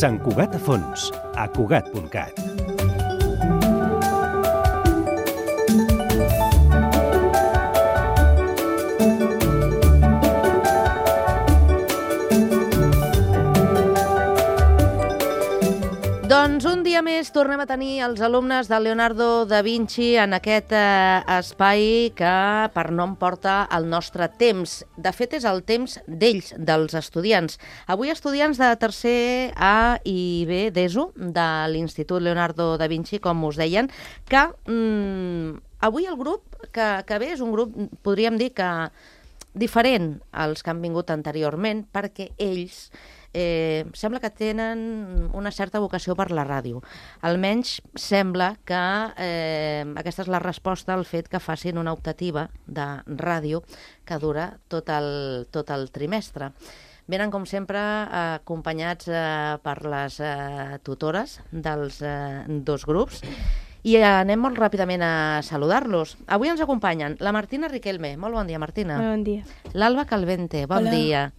Sant Cugat a fons, a Cugat.cat. Doncs un dia més tornem a tenir els alumnes de Leonardo da Vinci en aquest espai que per nom porta el nostre temps. De fet, és el temps d'ells, dels estudiants. Avui estudiants de tercer A i B d'ESO de l'Institut Leonardo da Vinci, com us deien, que avui el grup que ve és un grup, podríem dir que diferent als que han vingut anteriorment, perquè ells sembla que tenen una certa vocació per la ràdio. Almenys sembla que aquesta és la resposta al fet que facin una optativa de ràdio que dura tot el trimestre. Venen, com sempre, acompanyats per les tutores dels dos grups i anem molt ràpidament a saludar-los. Avui ens acompanyen la Martina Riquelme. Molt bon dia, Martina. Bon dia. L'Alba Calvente. Bon Hola. dia.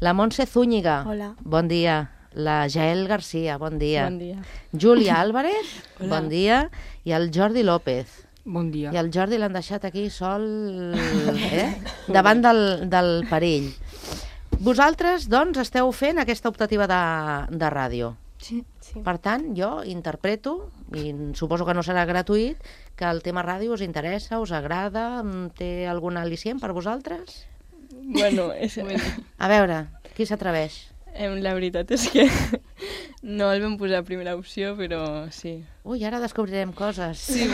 La Montse Zúñiga. Hola. Bon dia. La Jael Garcia. Bon dia. Bon dia. Júlia Álvarez. Hola. Bon dia. I el Jordi López. Bon dia. I el Jordi l'han deixat aquí sol, davant del perill. Vosaltres, doncs, esteu fent aquesta optativa de ràdio. Sí. Per tant, jo interpreto, i suposo que no serà gratuït, que el tema ràdio us interessa, us agrada, té algun al·licient per vosaltres? Bueno, A veure, qui s'atreveix? la veritat és que no el vam posar a primera opció, però sí. Ui, ara descobrirem coses. Sí,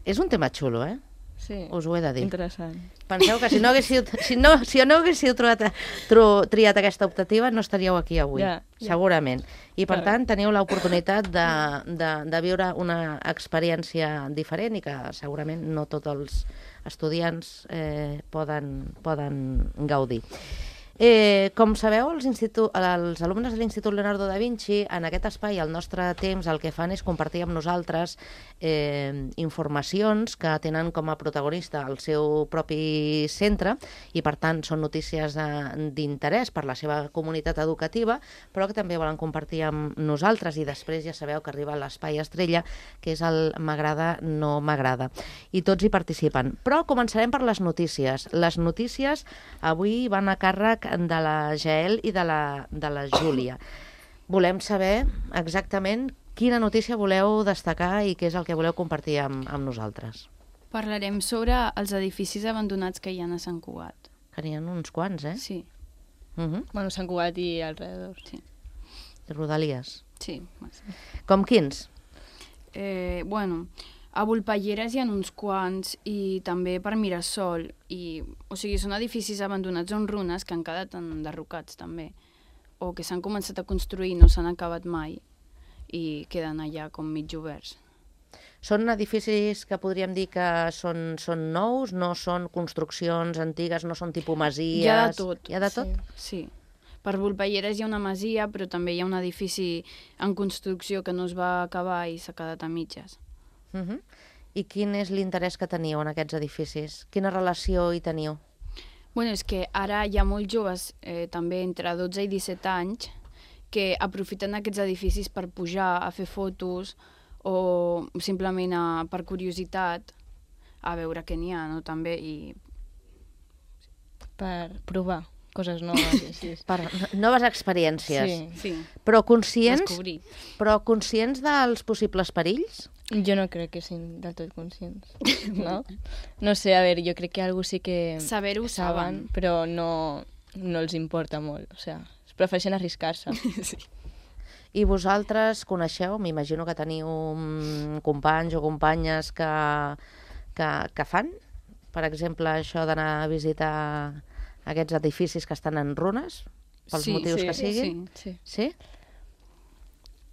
És un tema xulo, eh? sí. Us ho he de dir. Interessant. Penseu que si no haguéssiu triat aquesta optativa no estaríeu aquí avui, Ja. segurament. I per Clar. tant teniu l'oportunitat de viure una experiència diferent i que segurament no tots els estudiants poden gaudir. Com sabeu, els alumnes de l'Institut Leonardo da Vinci, en aquest espai, al nostre temps, el que fan és compartir amb nosaltres informacions que tenen com a protagonista el seu propi centre i, per tant, són notícies d'interès per la seva comunitat educativa, però que també volen compartir amb nosaltres i després ja sabeu que arriba l'espai estrella, que és el m'agrada, no m'agrada. I tots hi participen. Però començarem per les notícies. Les notícies avui van a càrrec de la Jael i de la Júlia. Volem saber exactament quina notícia voleu destacar i què és el que voleu compartir amb nosaltres. Parlarem sobre els edificis abandonats que hi ha a Sant Cugat. Que n'hi ha uns quants, eh? Sí, Bueno, Sant Cugat i alrededor. sí, Rodalies. sí. Com quins? Bueno, a Volpelleres hi ha uns quants i també per Mirasol. O sigui, són edificis abandonats o en runes que han quedat enderrocats també. O que s'han començat a construir i no s'han acabat mai i queden allà com mig oberts. Són edificis que podríem dir que són nous, no són construccions antigues, no són tipus masies... Hi ha de tot. Hi ha de tot? Sí. Per Volpelleres hi ha una masia, però també hi ha un edifici en construcció que no es va acabar i s'ha quedat a mitges. I quin és l'interès que teniu en aquests edificis? Quina relació hi teniu? Bueno, és que ara hi ha molts joves, també entre 12 i 17 anys, que aprofiten aquests edificis per pujar a fer fotos o simplement per curiositat a veure què n'hi ha, no? També, i Per provar coses noves. Així. Per noves experiències. Sí. sí, Però conscients dels possibles perills? Jo no crec que siguin del tot conscients, no? No sé, a veure, jo crec que algú sí que saber-ho saben. però no els importa molt, o sigui, prefereixen arriscar-se. Sí. I vosaltres coneixeu, m'imagino que teniu companys o companyes que fan, per exemple, això d'anar a visitar aquests edificis que estan en runes, pels motius que siguin? Sí?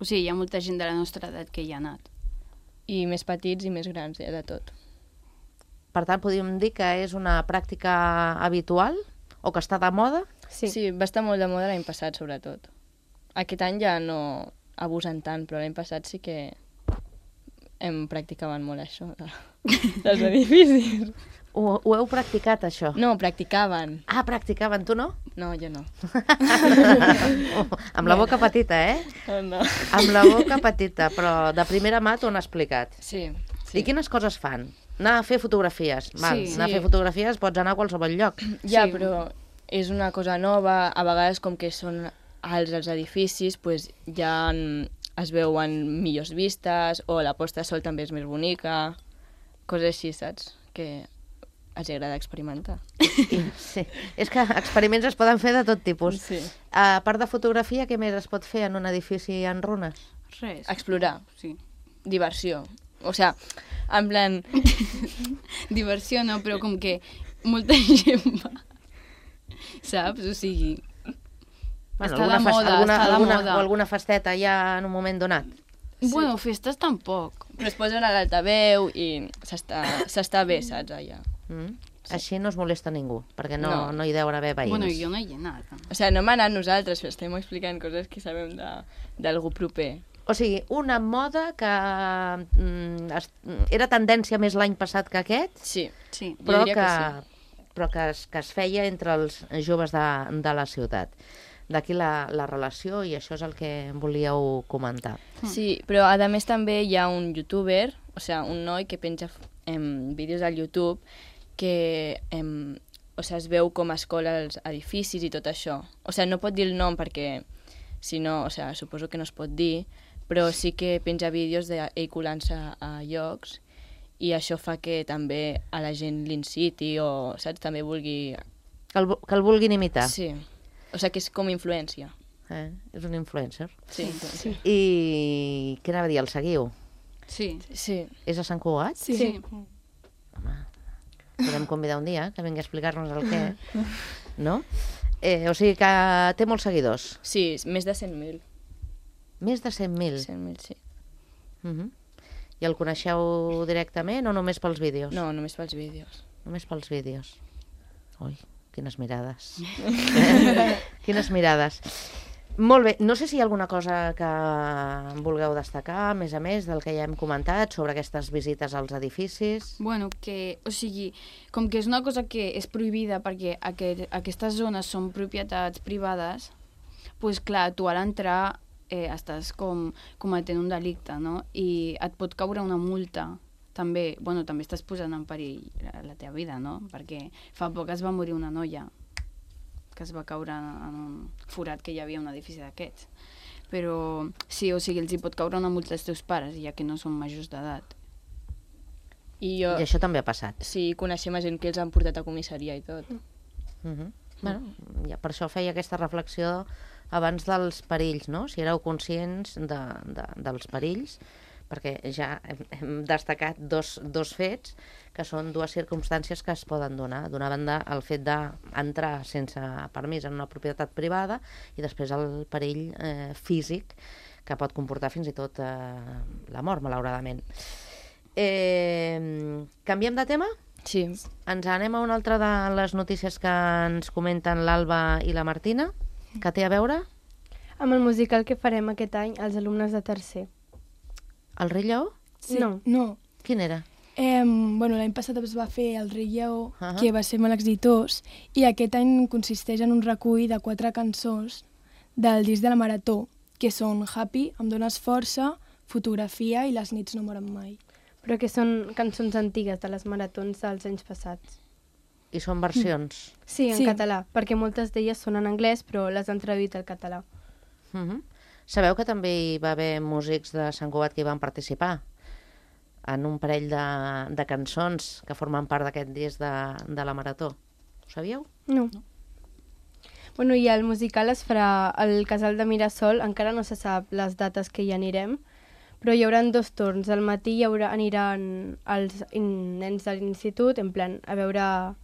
O sigui, hi ha molta gent de la nostra edat que hi ha anat. I més petits i més grans, ja de tot. Per tant, podríem dir que és una pràctica habitual o que està de moda? Sí, va estar molt de moda l'any passat, sobretot. Aquest any ja no abusen tant, però l'any passat sí que em practicaven molt això, dels edificis. Ho heu practicat, això? No, practicaven. Ah, practicaven, tu no? No, jo no. Amb la boca petita, eh? No. Amb la boca petita, però de primera mà t'ho han explicat. Sí. I quines coses fan? Anar a fer fotografies. Val, Sí. anar a fer fotografies pots anar a qualsevol lloc. Ja, Sí. però és una cosa nova, a vegades com que són alts els edificis, pues, ja es veuen millors vistes, o la posta de sol també és més bonica, coses així, saps? Que els agrada experimentar. Sí. És que experiments es poden fer de tot tipus. Sí. A part de fotografia, què més es pot fer en un edifici en runes? Res. Explorar, Sí. diversió. O sea, en plan... Diversió no, però com que molta gent va, saps? O sigui, està de moda, està de moda. O alguna festeta ja en un moment donat. Bueno, festes tampoc. Però es posen a l'altaveu i s'està bé, saps, allà. Així no es molesta ningú, perquè no No. hi deuen haver veïns. Bueno, jo no hi he anat. O sea, no hem anat nosaltres, però estem explicant coses que sabem d'algú proper. O sigui, una moda que era tendència més l'any passat que aquest, Sí, Sí. jo però diria que que es feia entre els joves de la ciutat. D'aquí la relació, i això és el que volíeu comentar. sí, però a més també hi ha un youtuber, o sea, un noi que penja vídeos al YouTube que o sea, es veu com es cola els edificis i tot això. O sea, no pot dir el nom perquè, si no, o sea, suposo que no es pot dir, però sí que penja vídeos d'ell colant-se a llocs i això fa que també a la gent l'inciti o, saps, també vulgui... Que el vulguin imitar. Sí, o sea, que és com influència. És un influencer. Sí, sí. I què anava a dir, el seguiu? Sí. Sí. És a Sant Cugat? Sí. Podem convidar un dia que vingui a explicar-nos el què, no? O sigui que té molts seguidors. Sí, més de 100.000. Més de 100.000. 100.000, sí. I el coneixeu directament o només pels vídeos? No, només pels vídeos. Només pels vídeos. Ui, quines mirades. Quines mirades. Molt bé, no sé si hi ha alguna cosa que vulgueu destacar, a més del que ja hem comentat, sobre aquestes visites als edificis. Bueno, que, o sigui, com que és una cosa que és prohibida perquè aquestes zones són propietats privades, doncs clar, tu a l'entrar estàs com cometent un delicte, no? I et pot caure una multa. També, bueno, també estàs posant en perill la teva vida, no? Perquè fa poc es va morir una noia que es va caure en un forat que hi havia un edifici d'aquests. Però sí, o sigui, els hi pot caure una multa als teus pares, ja que no són majors d'edat. I I això també ha passat. sí, coneixem a gent que els han portat a comissaria i tot. Bueno, ja per això feia aquesta reflexió abans dels perills, no? Si éreu conscients dels perills, perquè ja hem destacat dos fets, que són dues circumstàncies que es poden donar. D'una banda, el fet d'entrar sense permís en una propietat privada i després el perill físic que pot comportar fins i tot la mort, malauradament. Canviem de tema? Sí. Ens anem a una altra de les notícies que ens comenten l'Alba i la Martina, que té a veure Amb el musical que farem aquest any als alumnes de tercer. el Rei Lleó. Sí. No. No. Quin era? Bueno, l'any passat es va fer el Rei Lleó, Ah. que va ser molt exitós, i aquest any consisteix en un recull de 4 cançons del disc de la Marató, que són Happy, Em dones força, Fotografia i Les nits no moren mai. Però que són cançons antigues de les maratons dels anys passats. I són versions. Sí, en Sí. català, perquè moltes d'elles són en anglès, però les han traduït al català. Sabeu que també hi va haver músics de Sant Cugat que hi van participar en un parell de cançons que formen part d'aquest disc de la Marató. Ho sabíeu? No. Bueno, i el musical es farà al Casal de Mirasol, encara no se sap les dates que hi anirem, però hi haurà 2 torns. Al matí aniran els nens de l'institut, en plan, a veure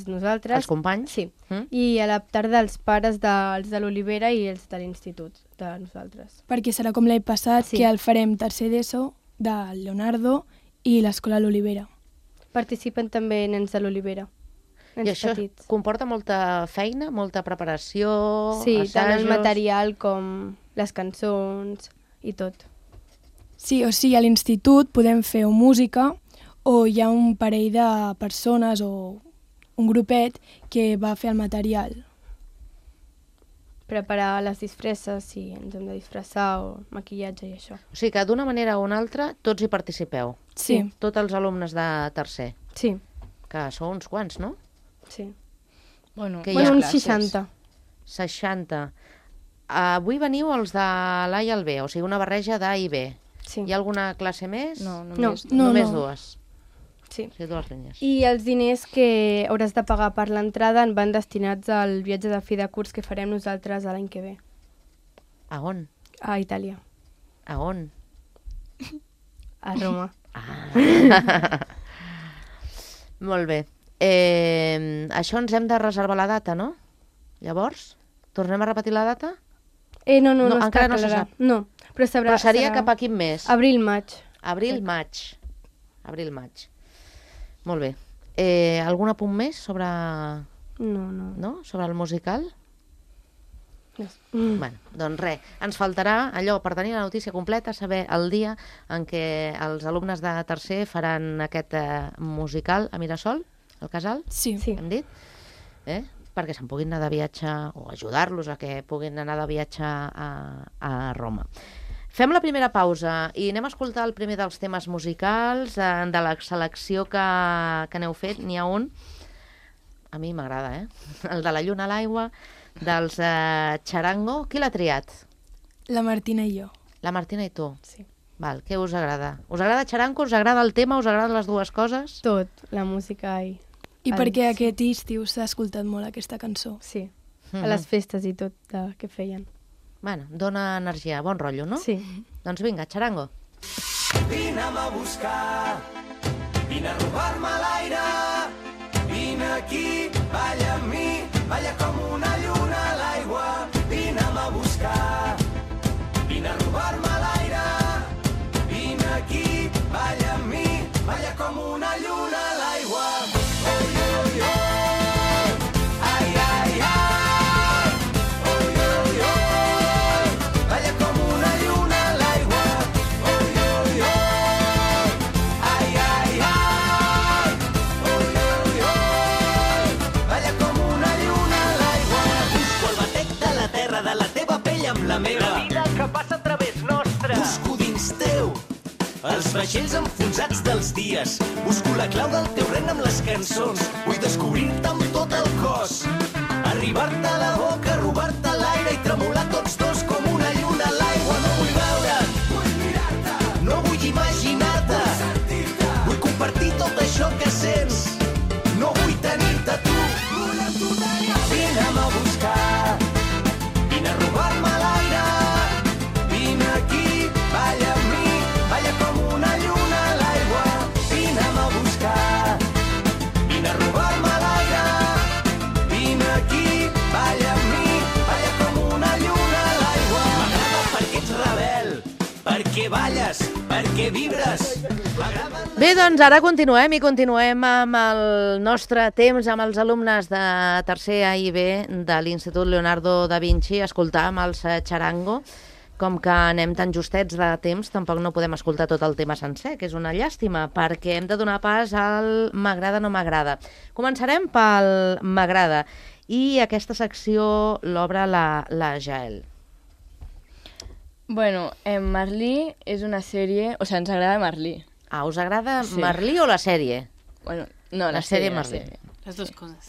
nosaltres. Els companys? Sí. I a la tarda els pares dels de l'Olivera i els de l'institut, de nosaltres. Perquè serà com l'any passat, Sí. que el farem tercer d'ESO, de Leonardo i l'Escola l'Olivera. Participen també nens de l'Olivera, nens I això petits. comporta molta feina, molta preparació, Sí, tant el assajos... material com les cançons i tot. Sí, o sigui, a l'institut podem fer o música o hi ha un parell de persones o un grupet que va fer el material. Preparar les disfresses, si ens hem de disfressar, o maquillatge i això. O sigui que d'una manera o una altra tots hi participeu. Sí. Tots els alumnes de tercer, Sí, que sou uns quants, no? sí. Bueno, Que hi Bueno, ha uns classes. 60. 60. Avui veniu els de l'A i el B, o sigui, una barreja d'A i B. Sí. Hi ha alguna classe més? No, només... No, Només no. dues. Sí. O sigui, dues línies. I els diners que hauràs de pagar per l'entrada en van destinats al viatge de fi de curs que farem nosaltres l'any que ve, A on? a Itàlia, A on? a Roma. Molt bé. Això ens hem de reservar la data, no? Llavors, tornem a repetir la data? No, No, està encara no se clara. sap. No, però Però seria cap a quin mes? Abril-maig. Abril-maig. Abril-maig. Molt bé. Algun apunt més sobre, No. sobre el musical? No. Bueno, doncs res, ens faltarà allò per tenir la notícia completa, saber el dia en què els alumnes de tercer faran aquest musical a Mirasol, al Casal, Sí. Sí. hem dit, perquè se'n puguin anar de viatge o ajudar-los a que puguin anar de viatge a Roma. Fem la primera pausa i anem a escoltar el primer dels temes musicals de la selecció que n'heu fet. N'hi ha un, a mi m'agrada, el de La lluna a l'aigua, dels Charango. Qui l'ha triat? La Martina i jo. La Martina i tu. Sí. Val, què us agrada? Us agrada Charango? Us agrada el tema? Us agraden les dues coses? Tot, la música i... I el- perquè aquest estiu s'ha escoltat molt aquesta cançó. Sí, a les festes i tot que feien. Bueno, dona energia, bon rotllo, no? Sí. Doncs vinga, Charango. Vine'm a buscar, vine a robar-me l'aire, vine aquí, balla amb mi, balla com una lluna a l'aigua. Vine'm a buscar, vine a robar-me l'aire, vine aquí, balla amb mi, balla com una lluna a l'aigua. Oi, oi, oi, ai, ai, ai, oi, oi, oi, balla com una lluna a l'aigua. Oi, oi, oi, ai, ai, ai, oi, oi, oi, balla com una lluna a l'aigua. Busco el batec de la terra, de la teva pell amb la meva. La vida que passa a través nostre. Busco dins teu els vaixells enfonsats dels dies. Busco la clau del teu regne amb les cançons. Vull descobrir-te amb tot el cos. Arribar-te a la boca, robar-te l'aire i tremolar tots dos com una lluna a l'aigua. No vull veure't, vull mirar-te. No vull imaginar-te, vull sentir-te. Vull compartir tot això que sents. No vull tenir-te tu. Vull amb tu tenir. Vine'm a buscar, vine a robar-me l'aire. Vine aquí, balla amb mi, balla com una lluna a l'aigua. Vine'm a buscar, vine a robar-me l'aire. Vine aquí, balla amb mi, balla com una lluna a l'aigua. M'agrada perquè ets rebel, perquè balles, perquè vibres. M'agrada... Bé, doncs ara continuem amb el nostre temps, amb els alumnes de tercer A i B de l'Institut Leonardo da Vinci, escoltar amb els Charango. Com que anem tan justets de temps, tampoc no podem escoltar tot el tema sencer, que és una llàstima, perquè hem de donar pas al m'agrada no m'agrada. Començarem pel m'agrada, i aquesta secció l'obre la Jael. Bueno, Marlí és una sèrie... O sigui, ens agrada Marlí. Ah, us agrada Sí. Marlí o la sèrie? Bueno, no, La la sèrie sèrie, Marlí. la sèrie. Les dues coses.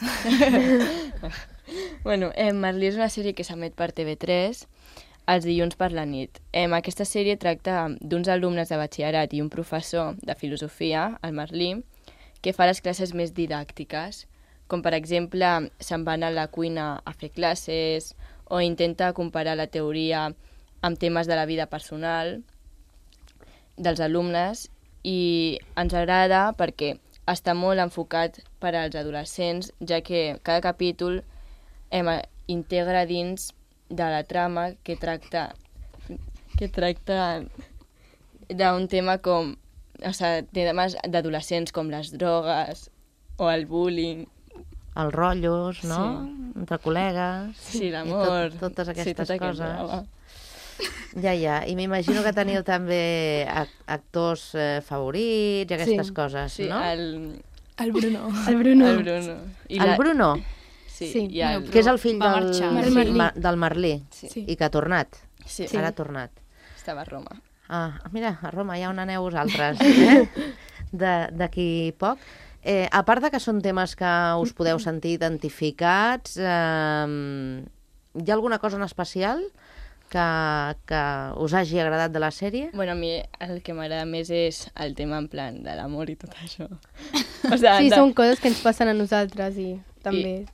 Bueno, Marlí és una sèrie que s'emet per TV3 els dilluns per la nit. Aquesta sèrie tracta d'uns alumnes de batxillerat i un professor de filosofia, el Marlí, que fa les classes més didàctiques, com per exemple se'n van a la cuina a fer classes o intenta comparar la teoria amb temes de la vida personal dels alumnes, i ens agrada perquè està molt enfocat per als adolescents, ja que cada capítol integra dins de la trama que tracta d'un tema com... O sigui, temes d'adolescents com les drogues o el bullying. Els rotllos, no? Sí. Entre col·legues. Sí, l'amor. Totes aquestes tot aquest coses. drama. Ja. I m'imagino que teniu també actors favorits i aquestes coses, Sí, no? El Bruno. El Bruno. el Bruno. El Bruno, Sí, Sí. i el... que és el fill Va del marxar. del Merlí, Sí. i que ha tornat. Sí, Ara ha tornat. estava a Roma. Ah, mira, a Roma, ja on aneu vosaltres, d'aquí poc. A part de que són temes que us podeu sentir identificats, hi ha alguna cosa en especial que us hagi agradat de la sèrie? Bueno, a mi el que m'agrada més és el tema en plan de l'amor i tot això. O sea, Sí, són coses que ens passen a nosaltres i també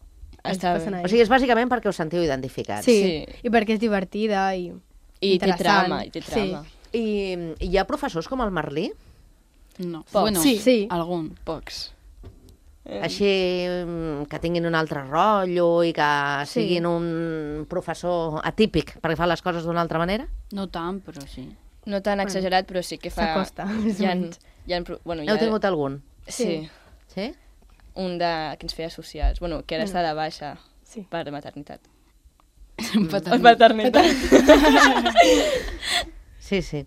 ens està passen a O ells. sigui, és bàsicament perquè us sentiu identificats. Sí, i perquè és divertida i I té interessant. trama, i té trama. I hi ha professors com el Merlí? No. Poc. Bueno, Sí. algun. Pocs. Així que tinguin un altre rotllo i que siguin un professor atípic perquè fa les coses d'una altra manera? No tant, però sí. No tan exagerat, però sí que fa... S'acosta, més o menys. Bueno, Heu tingut algun? Sí. Sí? Un que ens feia socials. Bueno, que ara està de baixa Sí. per maternitat. Paternitat. Sí.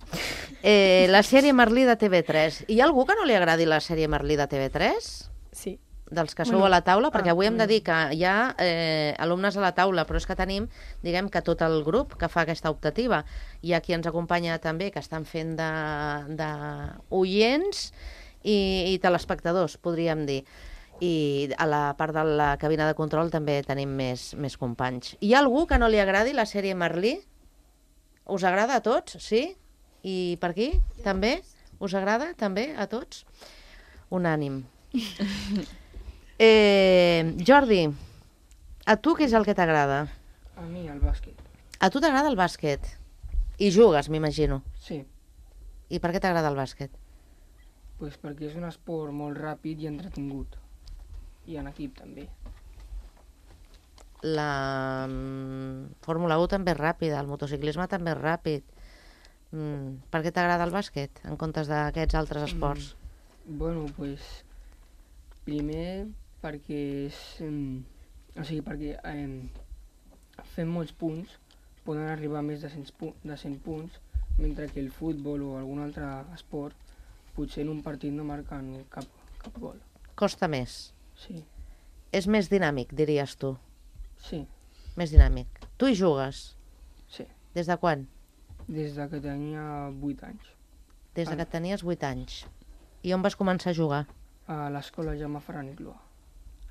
La sèrie Merlí de TV3. Hi ha algú que no li agradi la sèrie Merlí de TV3? Sí. Dels que sou a la taula? Perquè avui hem de dir que hi ha alumnes a la taula, però és que tenim, diguem que tot el grup que fa aquesta optativa. Hi ha qui ens acompanya també, que estan fent d'oients i telespectadors, podríem dir. I a la part de la cabina de control també tenim més companys. Hi ha algú que no li agradi la sèrie Merlí? Us agrada a tots? Sí? I per aquí? També? Us agrada també a tots? Unànim. Jordi, a tu què és el que t'agrada? A mi, el bàsquet. A tu t'agrada el bàsquet? I jugues, m'imagino. Sí, I per què t'agrada el bàsquet? pues perquè és un esport molt ràpid i entretingut. I en equip també. La Fórmula 1 també és ràpida, el motociclisme també és ràpid. Per què t'agrada el bàsquet en comptes d'aquests altres esports? Bueno, pues, primer perquè és... o sigui, perquè fent molts punts poden arribar a més de 100 punts, mentre que el futbol o algun altre esport potser en un partit no marquen cap gol. Costa més. Sí, És més dinàmic, diries tu. sí, Més dinàmic. Tu hi jugues? sí. Des de quan? Des de que tenia 8 anys. Des de que tenies 8 anys. I on vas començar a jugar? A l'escola Jaume Ferran i Clua.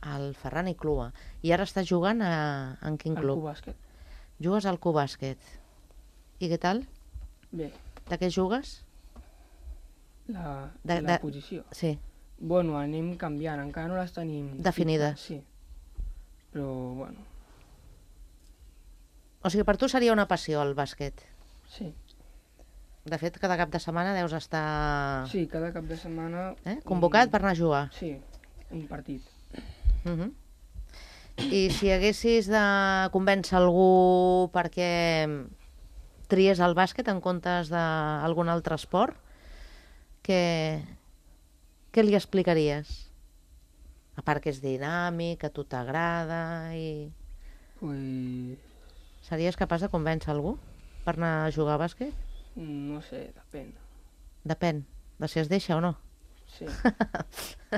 Al Ferran i Clua. I ara estàs jugant en quin Al club? Cubàsquet. Jugues al Cubàsquet. I què tal? Bé, De què jugues? la De- posició. Sí. Bueno, anem canviant, encara no les tenim... Definides. fixes, Sí, però bueno, O sigui, per tu seria una passió el bàsquet. sí. De fet, cada cap de setmana deus estar Sí, cada cap de setmana... convocat per anar a jugar. Sí, un partit. I si haguessis de convèncer algú perquè tries el bàsquet en comptes d'algun altre esport, què li explicaries? A part que és dinàmic, que a tu t'agrada i... Pues, Series capaç de convèncer algú per anar a jugar a bàsquet? no sé, depèn. Depèn de si es deixa o no. Sí.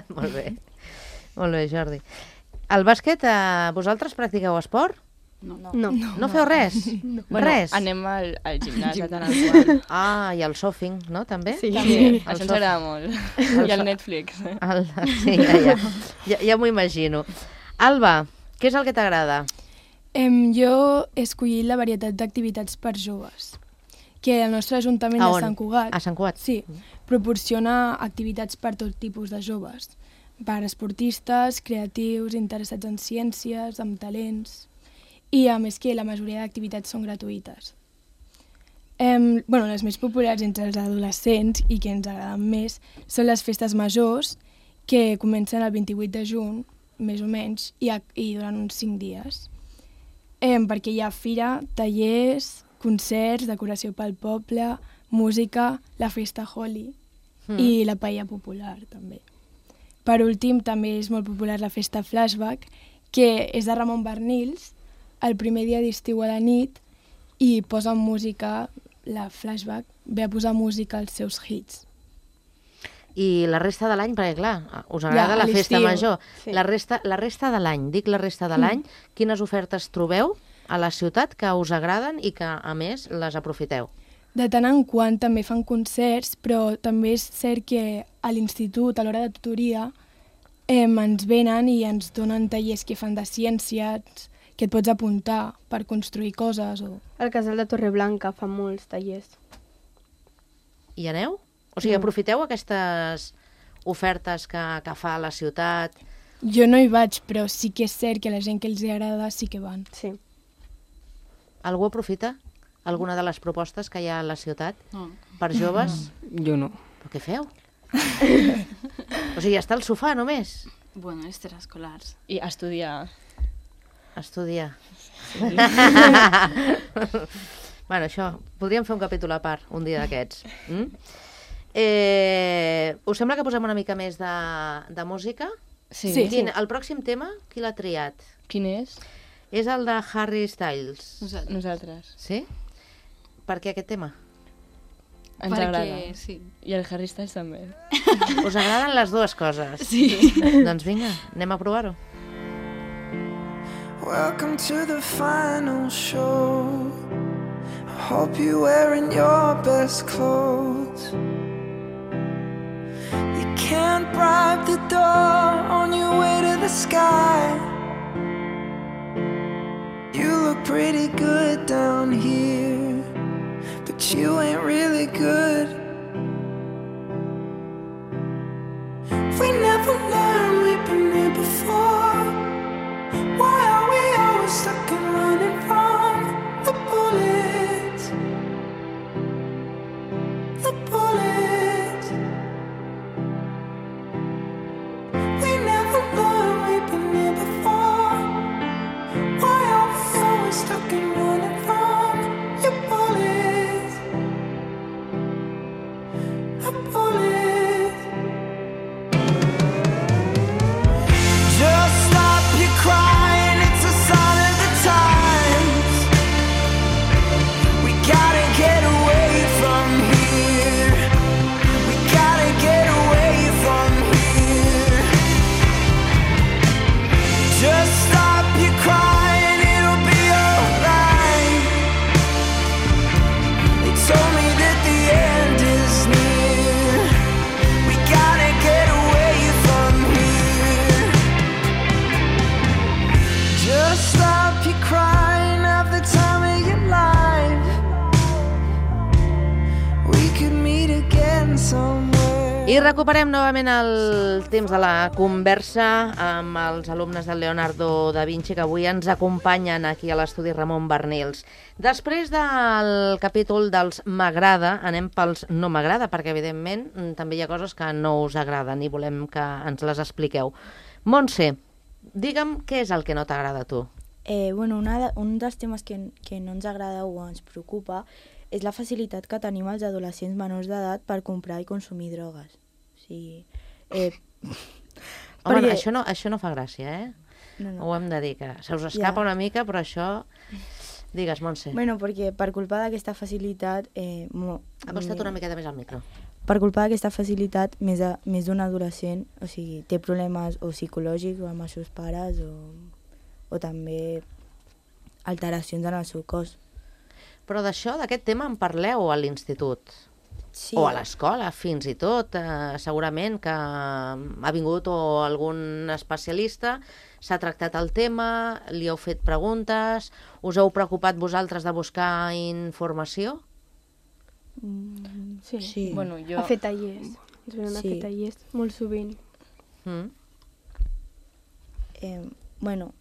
Molt bé. Molt bé, Jordi. El bàsquet, vosaltres practiqueu esport? No. No feu res? Bueno, Res? anem al gimnàs de tant en quant. Ah, i el surfing, no? També? Sí. Sí, El això ens soft- agrada molt. I el Netflix. Sí, ja m'ho imagino. Alba, què és el que t'agrada? Jo he escollit la varietat d'activitats per joves, que el nostre Ajuntament A de on? Sant Cugat A Sant Cugat? sí, proporciona activitats per tot tipus de joves, per esportistes, creatius, interessats en ciències, amb talents, i a més que la majoria d'activitats són gratuïtes. Les més populars entre els adolescents i que ens agraden més són les festes majors, que comencen el 28 de juny, més o menys, i duren uns 5 dies. Perquè hi ha fira, tallers, concerts, decoració pel poble, música, la festa Holi i la paella popular, també. Per últim, també és molt popular la festa Flashback, que és de Ramon Barnils, el primer dia d'estiu a la nit, i posen música la Flashback, ve a posar música als seus hits. I la resta de l'any, perquè clar, us agrada Ja, la festa l'estiu, major. sí. La resta de l'any, dic la resta de l'any, quines ofertes trobeu a la ciutat que us agraden i que, a més, les aprofiteu? De tant en quant també fan concerts, però també és cert que a l'institut, a l'hora de tutoria, ens venen i ens donen tallers que fan de ciències, que et pots apuntar per construir coses. Al casal de Torreblanca fan molts tallers. Hi aneu? O sigui, aprofiteu aquestes ofertes que fa la ciutat? Jo no hi vaig, però sí que és cert que la gent que els agrada sí que van. Sí. Algú aprofita alguna de les propostes que hi ha a la ciutat No. per joves? Jo no. Però què feu? O sigui, està al sofà només? Bueno, extraescolars. I estudiar. Estudiar. Bueno, això, podríem fer un capítol a part, un dia d'aquests. Us sembla que posem una mica més de música? Sí. Sí. El pròxim tema, qui l'ha triat? Quin és? És el de Harry Styles. Nosaltres. Sí? Per què aquest tema? Ens Perquè, agrada. sí. I el Harry Styles també. Us agraden les dues coses? Sí. Doncs vinga, anem a provar-ho. Welcome to the final show. I hope you're wearing your best clothes. You can't bribe the door on your way to the sky. You look pretty good down here, but you ain't really good. We never learned, we've been here before. Why are we always stuck and running from the bullets? The bullets. We never learned, we've been here before. Why are we always stuck and running from your bullets? The bullets. Just stop your crying, it's a sign of the times. We gotta get away from here. We gotta get away from here. Just stop your crying, it'll be alright. They told me that the end is near. We gotta get away from here. Just stop your crying, have the time of your life. We could meet again somewhere. I recuperem novament el temps de la conversa amb els alumnes del Leonardo da Vinci que avui ens acompanyen aquí a l'estudi Ramon Barnils. Després del capítol dels m'agrada, anem pels no m'agrada, perquè evidentment també hi ha coses que no us agraden i volem que ens les expliqueu. Montse, digue'm què és el que no t'agrada a tu. Bueno, un dels temes que no ens agrada o ens preocupa és la facilitat que tenim els adolescents menors d'edat per comprar i consumir drogues. O sigui, Home, perquè- això no fa gràcia, eh? no. Ho hem de dir, que se us escapa una mica, però això... Digues, Montse. Bueno, perquè per culpa d'aquesta facilitat... Acosta't una miqueta més al micro. Per culpa d'aquesta facilitat, més d'un adolescent, o sigui, té problemes o psicològics o amb els seus pares o també alteracions en el seu cos. Però d'això, d'aquest tema, en parleu a l'institut? Sí. O a l'escola, fins i tot. Segurament que ha vingut algun especialista, s'ha tractat el tema, li heu fet preguntes, us heu preocupat vosaltres de buscar informació? Sí. Sí. Bueno, jo... A fer tallers. Ens venen a Sí. fer tallers molt sovint. Mm? Bueno,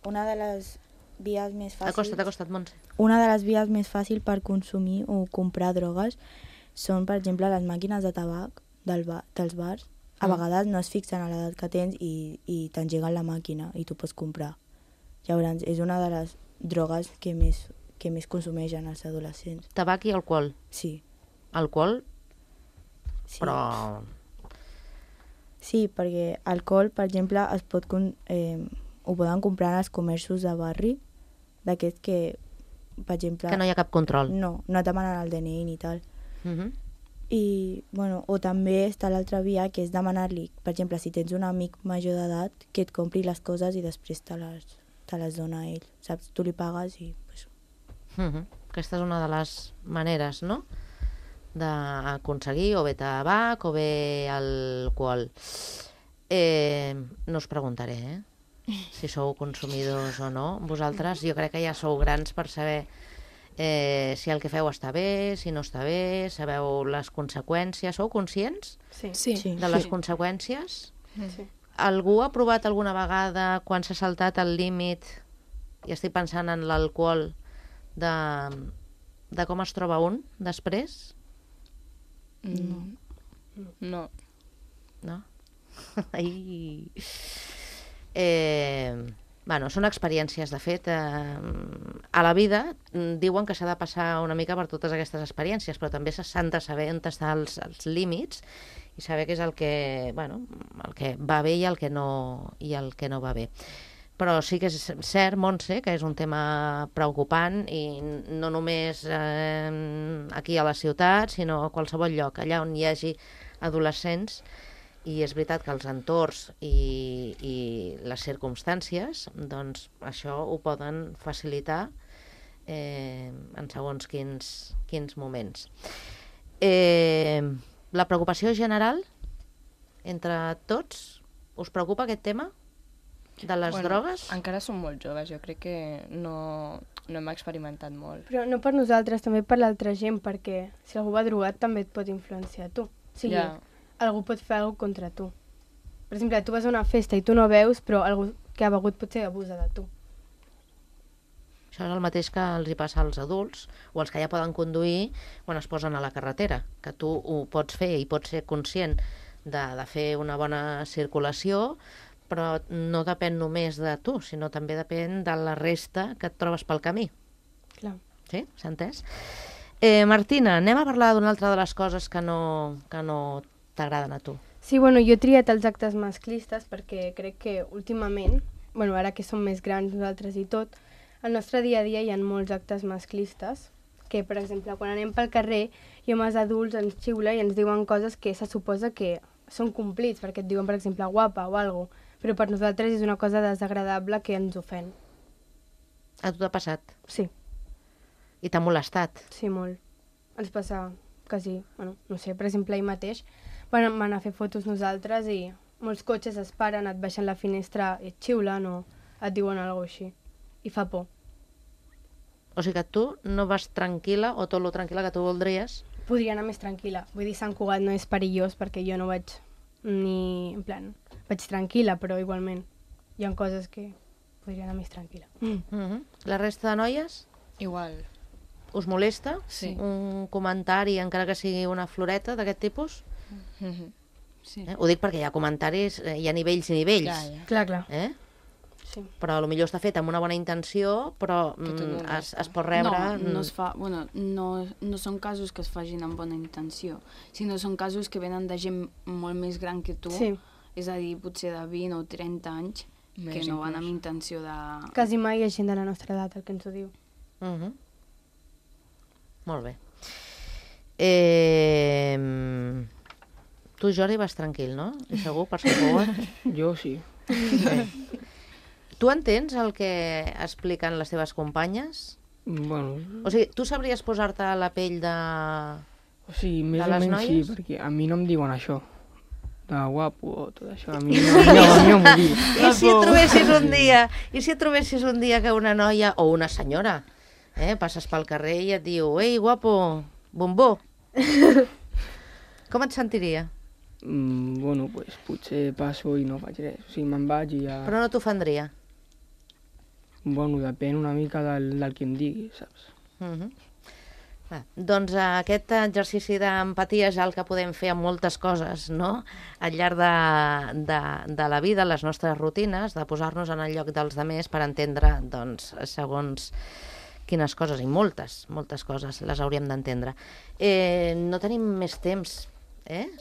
una de les vies més fàcils... Acosta't, Montse. Una de les vies més fàcils per consumir o comprar drogues són, per exemple, les màquines de tabac dels bars. A vegades no es fixen a l'edat que tens i t'engeguen la màquina i tu pots comprar. Llavors, és una de les drogues que més consumeixen els adolescents. Tabac i alcohol. Sí. Alcohol, Sí. però... Sí, perquè alcohol, per exemple, ho poden comprar en els comerços de barri, d'aquests que per exemple... Que no hi ha cap control. No et demanen el DNI ni tal. I, bueno, o també està l'altra via, que és demanar-li, per exemple, si tens un amic major d'edat, que et compri les coses i després te les dona a ell, saps? Tu li pagues i... Pues... Aquesta és una de les maneres, no?, d'aconseguir o bé tabac o bé alcohol. No us preguntaré, si sou consumidors o no. Vosaltres, jo crec que ja sou grans per saber si el que feu està bé, si no està bé, sabeu les conseqüències. Sou conscients de les conseqüències? Sí. Algú ha provat alguna vegada, quan s'ha saltat el límit, i estic pensant en l'alcohol, de com es troba un després? No. No? Ai. Bueno, són experiències, de fet. A la vida diuen que s'ha de passar una mica per totes aquestes experiències, però també s'han de saber on estan els límits i saber què és el que va bé i el que no va bé. Però sí que és cert, Montse, que és un tema preocupant i no només aquí a la ciutat, sinó a qualsevol lloc, allà on hi hagi adolescents. I és veritat que els entorns i les circumstàncies, doncs això ho poden facilitar en segons quins moments. La preocupació general entre tots, us preocupa aquest tema de les drogues? Encara som molt joves, jo crec que no hem experimentat molt. Però no per nosaltres, també per l'altra gent, perquè si algú va drogat també et pot influenciar tu. O sigui, algú pot fer alguna cosa contra tu. Per exemple, tu vas a una festa i tu no veus, però algú que ha begut potser abusa de tu. Això és el mateix que els hi passa als adults o als que ja poden conduir quan es posen a la carretera, que tu ho pots fer i pots ser conscient de fer una bona circulació, però no depèn només de tu, sinó també depèn de la resta que et trobes pel camí. Clar. Sí? S'ha entès? Martina, anem a parlar d'una altra de les coses que no t'agraden a tu. Sí, bueno, jo he triat els actes masclistes perquè crec que últimament, bueno, ara que som més grans nosaltres i tot, al nostre dia a dia hi ha molts actes masclistes que, per exemple, quan anem pel carrer i homes adults ens xiula i ens diuen coses que se suposa que són complits, perquè et diuen, per exemple, guapa o alguna cosa, però per nosaltres és una cosa desagradable que ens ofèn. A tu t'ha passat? Sí. I t'ha molestat? Sí, molt. Ens passa quasi, bueno, no sé, per exemple, ahir mateix vam anar a fer fotos nosaltres i molts cotxes es paren, et baixen la finestra i et xiulen o et diuen alguna cosa així. I fa por. O sigui que tu no vas tranquil·la o tot lo tranquil·la que tu voldries? Podria anar més tranquil·la. Vull dir, Sant Cugat no és perillós perquè jo no vaig ni... En plan, vaig tranquil·la, però igualment hi ha coses que podria anar més tranquil·la. La resta de noies? Igual. Us molesta? Sí. Un comentari, encara que sigui una floreta d'aquest tipus? Sí. Ho dic perquè hi ha comentaris, hi ha nivells i nivells. Clar. Sí. Però potser està fet amb una bona intenció, però es pot rebre... No es fa... Bueno, no són casos que es facin amb bona intenció, sinó són casos que venen de gent molt més gran que tu, és a dir, potser de 20 o 30 anys, que no van amb intenció de... Quasi mai hi ha gent de la nostra edat, el que ens ho diu. Molt bé. Tu, Jordi, vas tranquil, no? I segur, per Sant Jo sí. Tu entens el que expliquen les teves companyes? Bueno... O sigui, tu sabries posar-te a la pell de... O sigui, més o menys sí, perquè a mi no em diuen això. De guapo o tot això. A mi no m'ho diu. I si et trobessis un dia que una noia o una senyora passes pel carrer i et diu «Ei, guapo, bombó!» Com et sentiria? Bueno, pues potser passo i no faig res. O sigui, me'n vaig i ja... Però no t'ofendria? Bueno, depèn una mica del que em digui, saps? Doncs aquest exercici d'empatia és el que podem fer amb moltes coses, no? Al llarg de la vida, les nostres rutines, de posar-nos en el lloc dels altres per entendre, doncs, segons quines coses, i moltes coses les hauríem d'entendre. No tenim més temps,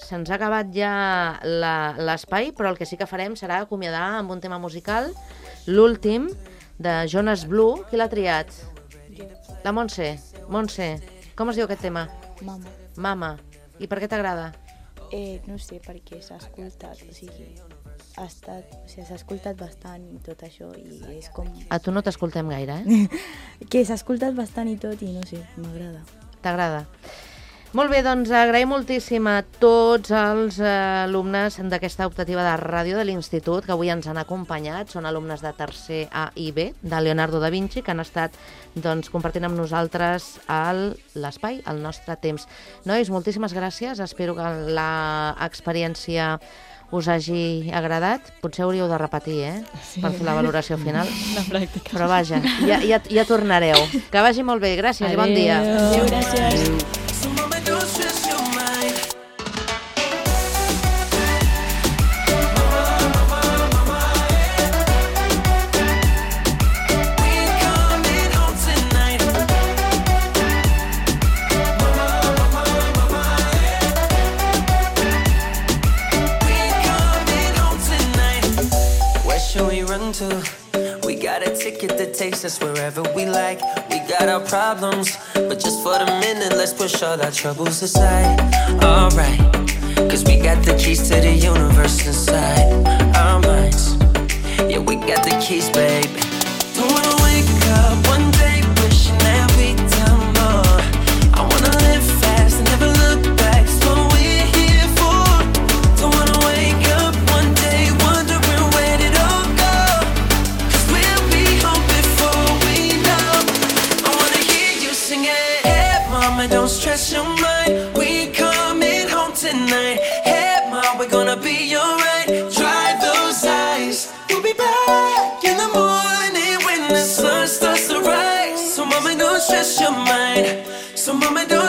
se'ns ha acabat ja l'espai, però el que sí que farem serà acomiadar amb un tema musical, l'últim, de Jonas Blue. Qui l'ha triat? La Montse. Montse, com es diu aquest tema? Mama. Mama. I per què t'agrada? No sé, perquè s'ha escoltat, o sigui, s'ha escoltat bastant i tot això, i és com... A tu no t'escoltem gaire, eh? Que s'ha escoltat bastant i tot, i no sé, m'agrada. T'agrada? Molt bé, doncs agraïm moltíssim a tots els alumnes d'aquesta optativa de ràdio de l'Institut que avui ens han acompanyat. Són alumnes de tercer A i B de Leonardo da Vinci que han estat compartint amb nosaltres l'espai, el nostre temps. Nois, moltíssimes gràcies. Espero que l'experiència us hagi agradat. Potser hauríeu de repetir, per fer la valoració final. La pràctica. Però vaja, ja tornareu. Que vagi molt bé. Gràcies i bon dia. Adéu, gràcies. We got a ticket that takes us wherever we like. We got our problems, but just for the minute, let's push all our troubles aside. Alright, cause we got the keys to the universe inside our minds. Yeah, we got the keys, baby. Don't wanna wake up one day wishing that we'd done more. I wanna live fast and never look back. It's what we're here for. Don't wanna wake up one day wondering where did all go. Cause we'll be home before we know. I wanna hear you sing it. Hey mama, don't stress your mind. We coming home tonight. Hey mom, we're gonna be alright. Dry those eyes. We'll be back in the morning when the sun starts to rise. So mama, don't stress your mind. So mama, don't